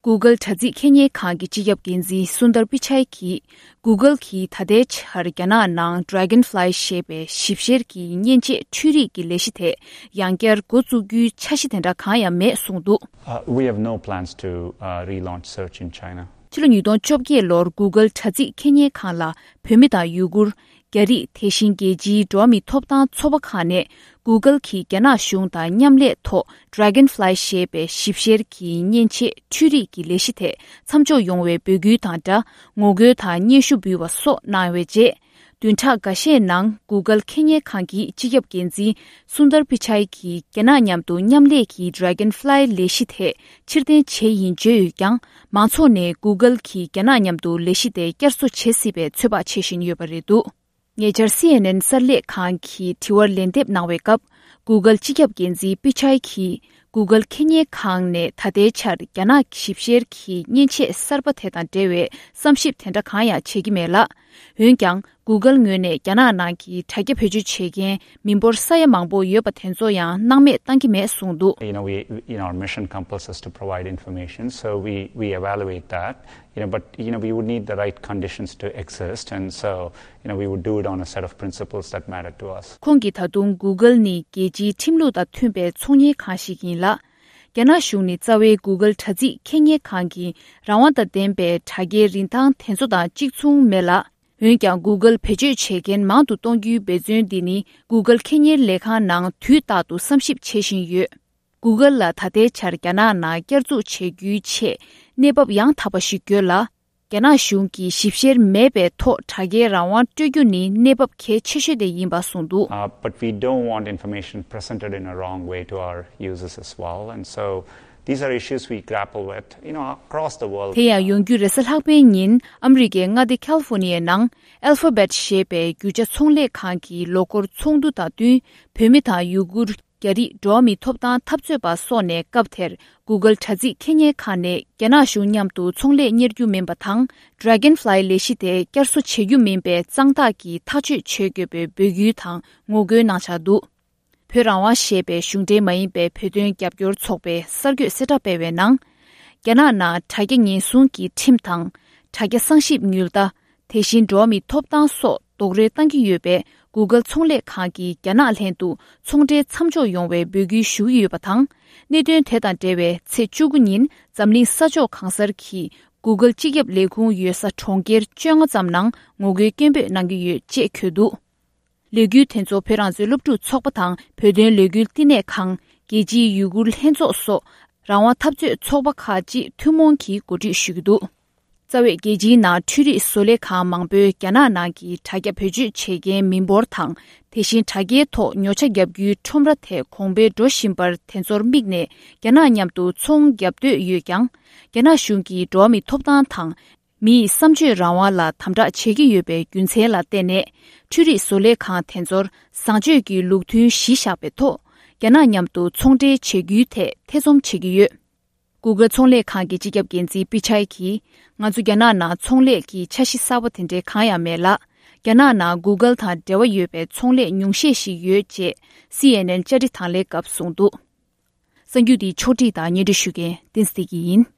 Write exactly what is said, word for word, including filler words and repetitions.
Google་དྲ་ཚིགས་ཁེ་གཉེར་ཁང་གི་སྤྱི་ཁྱབ་འགན་འཛིན་སུན་དར་པི་ཆའི་གིས། Google་གིས་ད་ལྟའི་ཆར་རྒྱ་ནག་ནང་Dragonfly་ཞེས་པའི་ཞིབ་བཤེར་གྱི་མཉེན་ཆས་འཕྲུལ་རིག་གི་ལས་གཞི་དེ་ཡང་བསྐྱར་འགོ་བཙུགས་རྒྱུའི་འཆར་གཞི་དེ་འདྲ་གང་ཡང་མེད་གསུངས་འདུག། Uh, we have no plans to uh, relaunch search in China. ཕྱི་ལོ་ཉིས་སྟོང་བཅོ་བརྒྱད་ལོར་Google་དྲ་ཚིགས་ཁེ་གཉེར་ཁང་ལ་བོད་མི་དང་ཡུ་གུར། རྒྱ་རིགས། དེ་བཞིན་རྒྱལ་སྤྱིའི་འགྲོ་བ་མིའི་ཐོབ་ཐང་ཚོགས་པ་ཁག་ནས་Google་གིས་རྒྱ་ནག་གཞུང་དང་མཉམ་ལས་ཐོག་Dragonfly་ཞེས་པའི་ཞིབ་བཤེར་གྱི་མཉེན་ཆས་འཕྲུལ་རིག་གི་ལས་གཞི་དེ་མཚམས་འཇོག་ཡོང་བའི་འབོད་སྐུལ་དང་སྦྲགས་ངོ་རྒོལ་དང་སྙན་ཞུ་འབུལ་བ་སོགས་གནང་བའི་རྗེས། བདུན་ཕྲག་འགའ་ཤས་ནང་Google་ཁེ་གཉེར་ཁང་གི་སྤྱི་ཁྱབ་འགན་འཛིན་སུན་དར་པི་ཆའི་གིས་རྒྱ་ནག་མཉམ་དུ་མཉམ་ལས་ཀྱི་Dragonfly་ལས་གཞི་དེ་ཕྱིར་འཐེན་བྱས་ཡིན་བརྗོད་ཡོད་ཀྱང་། མང་ཚོགས་ནས་Google་གིས་རྒྱ་ནག་མཉམ་དུ་ལས་གཞི་དེ་བསྐྱར་གསོ་བྱེད་སྲིད་པའི་ཚོད་དཔག་བྱེད་བཞིན་ཡོད་པ་རེད་འདུག། ཉེ་ཆར་སི་ཨེན་ཨེན་གསར་ལས་ཁང་གི་དྲི་བར་ལན་འདེབས་གནང་བའི་སྐབས། Google་སྤྱི་ཁྱབ་འགན་འཛིན་པི་ཆའི་གིས་Google་ཁེ་གཉེར་ཁང་ནས་ད་ལྟའི་ཆར་རྒྱ་ནག་ཞིབ་བཤེར་གྱི་མཉེན་ཆས་གསར་པ་དེ་དང་འབྲེལ་བའི་བསམ་ཞིབ་དེ་འདྲ་གང་ཡང་བྱེད་ཀྱི་མེད་ལ། འོན་ཀྱང་། Google་ངོས་ནས་རྒྱ་ནག་ནང་གི་དྲ་རྒྱ་བེད་སྤྱོད་བྱེད་མཁན་མི་འབོར་ས་ཡ་མང་པོ་ཡོད་པ་དེ་ཚོ་ཡང་སྣང་མེད་བཏང་གི་མེད་གསུངས་འདུག། You know, we, you know, our mission compels us to provide information, so we, we evaluate that. You know, but, you know, we would need the right conditions to exist, and so, you know, we would do it on a set of principles that matter to us. ཁོང་གིས་ད་དུང་Google་ནི་རྒྱལ་སྤྱིའི་ཁྲིམས་ལུགས་དང་མཐུན་པའི་ཚོང་གཉེར་ཁང་ཞིག་ཡིན་ལ། རྒྱ་ནག་གཞུང་ནི་རྩ་བའི་Google་དྲ་ཚིགས་ཁེ་གཉེར་ཁང་གི་རང་དབང་དང་ལྡན་པའི་དྲ་རྒྱའི་རིན་ཐང་དེ་ཚོ་དང་གཅིག་མཚུངས་མེད་ལ། འོན་ཀྱང་། Google་བེད་སྤྱོད་བྱེད་མཁན་མང་དུ་གཏོང་རྒྱུའི་འབད་བརྩོན་འདི་ནི་Google་ཁེ་གཉེར་ལས་ཁང་ནང་དུས་རྟག་ཏུ་བསམ་ཞིབ་བྱེད་བཞིན་ཡོད། Google་ལ་ད་ལྟའི་ཆར་རྒྱ་ནག་ནང་བསྐྱར་འཛུགས་བྱེད་རྒྱུའི་ཆེད་གནས་བབ་ཡང་དག་པ་ཞིག་དགོས་ལ། རྒྱ་ནག་གཞུང་གིས་ཞིབ་བཤེར་མེད་པའི་ཐོག་དྲ་རྒྱའི་རང་དབང་སྤྲོད་རྒྱུ་ནི་གནས་བབ་གལ་ཆེ་ཤོས་དེ་ཡིན་པ་གསུངས་འདུག། Uh, but we don't want information presented in a wrong way to our users as well. And so these are issues we grapple with, you know, across the world. དེ་ཡང་ཡོང་རྒྱུ་རེས་གཟའ་ལྷག་པའི་ཉིན་ཨ་མི་རི་ཀའི་མངའ་སྡེ་ཁལ་ཧྥོ་ནི་ཡའི་ནང་Alphabet་ཞེས་པའི་རྒྱུ་ཆ་ཚོང་ལས་ཁང་གིས་ལོ་འཁོར་ཚོགས་འདུ་དང་བསྟུན་བོད་མི་དང་ཡུ་གུར། རྒྱ་རིགས་འགྲོ་བ་མིའི་ཐོབ་ཐང་འཐབ་རྩོད་པ་སོགས་ནས་སྐབས་དེར་Google་དྲ་ཚིགས་ཁེ་གཉེར་ཁང་ནས་རྒྱ་ནག་གཞུང་མཉམ་དུ་ཚོང་ལས་གཉེར་རྒྱུ་མིན་པ་དང་། Dragonfly་ལས་གཞི་དེ་བསྐྱར་གསོ་བྱེད་རྒྱུ་མིན་པའི་གཙང་ཐག་གིས་ཐག་གཅོད་བྱེད་དགོས་པའི་འབོད་སྐུལ་དང་ངོ་རྒོལ་གནང་འཆར་འདུག། བོད་རང་དབང་ཞེས་པའི་གཞུང་འབྲེལ་མ་ཡིན་པའི་བོད་དོན་རྒྱབ་སྐྱོར་ཚོགས་པས་གསར་འགོད་གསལ་བསྒྲགས་སྤེལ་བའི་ནང་། རྒྱ་ནག་ནང་དྲ་རྒྱ་ཉེན་སྲུང་གི་ཁྲིམས་དང་། དྲ་རྒྱ་གསང་ཞིབ་ཉུལ་ལྟ། དེ་བཞིན་འགྲོ་བ་མིའི་ཐོབ་ཐང་སོགས་རྡོག་རོལ་བཏང་གི་ཡོད་པས། Google་ཚོང་ལས་ཁང་གིས་རྒྱ་ནག་ལྷན་དུ་ཚོང་འབྲེལ་མཚམས་འཇོག་ཡོང་བའི་འབོད་སྐུལ་ཞུ་གི་ཡོད་པ་དང་། གནད་དོན་དེ་དང་འབྲེལ་བའི་ཚེས་བཅུ་དགུ་ཉིན་འཛམ་གླིང་ས་ཕྱོགས་གང་སར་གྱི་Google་སྤྱི་ཁྱབ་ལས་ཁུངས་ཡོད་ས་གྲོང་ཁྱེར་བཅོ་ལྔ་ཙམ་ནང་ངོ་རྒོལ་སྐད་འབོད་གནང་གི་ཡོད་ཅེས་འཁོད་འདུག། ལས་འགུལ་དེ་ཚོ་བོད་རང་བཙན་སློབ་ཕྲུག་ཚོགས་པ་དང་བོད་དོན་ལས་འགུལ་བསྟི་གནས་ཁང་། རྒྱལ་སྤྱིའི་ཡུ་གུར་ལྷན་ཚོགས་སོགས་རང་དབང་འཐབ་རྩོད་ཚོགས་པ་ཁག་ཅིག་ཐུན་མོང་གིས་གོ་སྒྲིག་ཞུ་གི་འདུག། རྩ་བའི་རྒྱལ་སྤྱིའི་ནང་འཕྲུལ་རིག་བཟོ་ལས་ཁང་མང་པོས་རྒྱ་ནག་ནང་གི་དྲ་རྒྱ་བེད་སྤྱོད་བྱེད་མཁན་མི་འབོར་དང་། དེ་བཞིན་དྲ་རྒྱའི་ཐོག་ཉོ་ཆ་བརྒྱབ་རྒྱུའི་ཁྲོམ་ར་དེ་གོང་འཕེལ་འགྲོ་བཞིན་པར་དེ་ཚོར་དམིགས་ནས་རྒྱ་ནག་མཉམ་དུ་ཚོང་བརྒྱབ་འདོད་ཡོད་ཀྱང་། རྒྱ་ནག་གཞུང་གིས་འགྲོ་བ་མིའི་ཐོབ་ཐང་དང་། མིའི་བསམ་སྤྱོད་རང་དབང་ལ་དམ་དྲག་བྱེད་ཀྱི་ཡོད་པའི་རྒྱུ་མཚན་ལ་བརྟེན་ནས། འཕྲུལ་རིག་བཟོ་ལས་ཁང་དེ་ཚོར་བཟང་སྤྱོད་ཀྱི་ལུགས་མཐུན་གཞི་བཞག་པའི་ཐོག་རྒྱ་ནག་མཉམ་དུ་ཚོང་འབྲེལ་བྱེད་རྒྱུའི་ཐད་ཐེ་ཚོམ་བྱེད་ཀྱི་ཡོད། Google་ཚོང་ལས་ཁང་གི་སྤྱི་ཁྱབ་འགན་འཛིན་པི་ཆའི་གིས། ང་ཚོ་རྒྱ་ནག་ནང་ཚོང་ལས་ཀྱི་འཆར་གཞི་གསར་པ་དེ་འདྲའི་གང་ཡང་མེད་ལ། རྒྱ་ནག་ནང་Google་དང་འབྲེལ་བ་ཡོད་པའི་ཚོང་ལས་ཉུང་ཤས་ཤིག་ཡོད་ཅེས་སི་ཨེན་ཨེན་བཅར་འདྲི་དང་ལེན་སྐབས་གསུངས་འདུག། གསར་འགྱུར་འདི་ཕྱོགས་སྒྲིག་དང་སྙན་སྒྲོན་ཞུ་མཁན་བསྟན་འཛིན་བདེ་སྐྱིད་ཡིན།